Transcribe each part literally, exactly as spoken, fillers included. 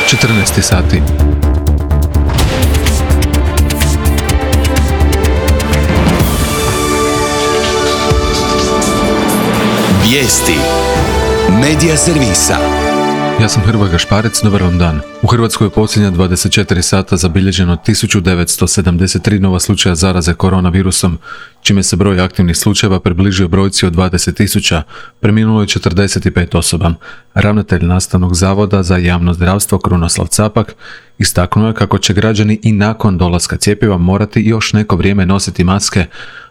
četrnaest sati. Vijesti Medija servisa. Ja sam Hrvoje Gašparec, dobar vam dan. U Hrvatskoj je posljednja dvadeset četiri sata zabilježeno tisuću devetsto sedamdeset tri nova slučaja zaraze koronavirusom, čime se broj aktivnih slučajeva približio brojci od dvadeset tisuća, preminulo je četrdeset pet osoba. Ravnatelj Nastavnog zavoda za javno zdravstvo Krunoslav Capak istaknuo je kako će građani i nakon dolaska cjepiva morati još neko vrijeme nositi maske,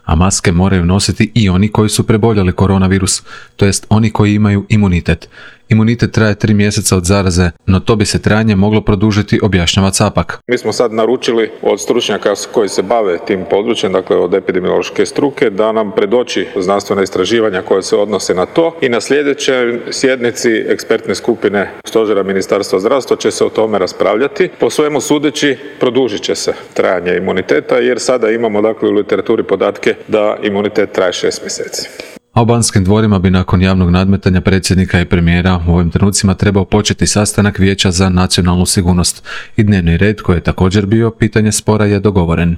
a maske moraju nositi i oni koji su preboljeli koronavirus, to jest oni koji imaju imunitet. Imunitet traje tri mjeseca od zaraze, no to bi se trajanje moglo produžiti, objašnjava Capak. Mi smo sad naručili od stručnjaka koji se bave tim područjem, dakle od epidemiološke struke, da nam predoči znanstvena istraživanja koja se odnose na to i na sljedećoj sjednici ekspertne skupine Stožera Ministarstva zdravstva će se o tome raspravljati. Po svemu sudeći produžit će se trajanje imuniteta jer sada imamo dakle u literaturi podatke da imunitet traje šest mjeseci. A u Banskim dvorima bi nakon javnog nadmetanja predsjednika i premijera u ovim trenucima trebao početi sastanak Vijeća za nacionalnu sigurnost i dnevni red koji je također bio pitanje spora je dogovoren.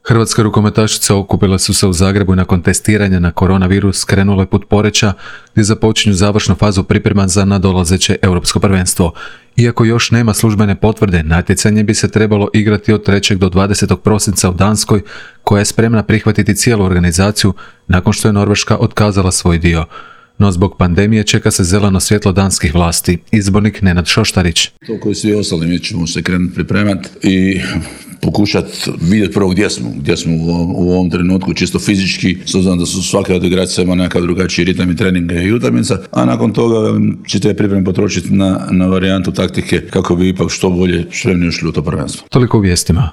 Hrvatske rukometašice okupile su se u Zagrebu i nakon testiranja na koronavirus krenule put Poreča gdje započinju završnu fazu priprema za nadolazeće europsko prvenstvo. Iako još nema službene potvrde, natjecanje bi se trebalo igrati od trećeg do dvadesetog prosinca u Danskoj, koja je spremna prihvatiti cijelu organizaciju nakon što je Norveška otkazala svoj dio. No zbog pandemije čeka se zeleno svjetlo danskih vlasti. Izbornik Nenad Šoštarić. To koji svi ostali, mi ćemo se krenuti pripremati i pokušati vidjeti prvo gdje smo, gdje smo u ovom trenutku, čisto fizički, s obzirom da su svaka od igrača ima nekakav drugačiji ritam i treninga i utakmica, a nakon toga će te pripreme potrošiti na, na varijantu taktike kako bi ipak što bolje spremni ušli u to prvenstvo. Toliko u vijestima.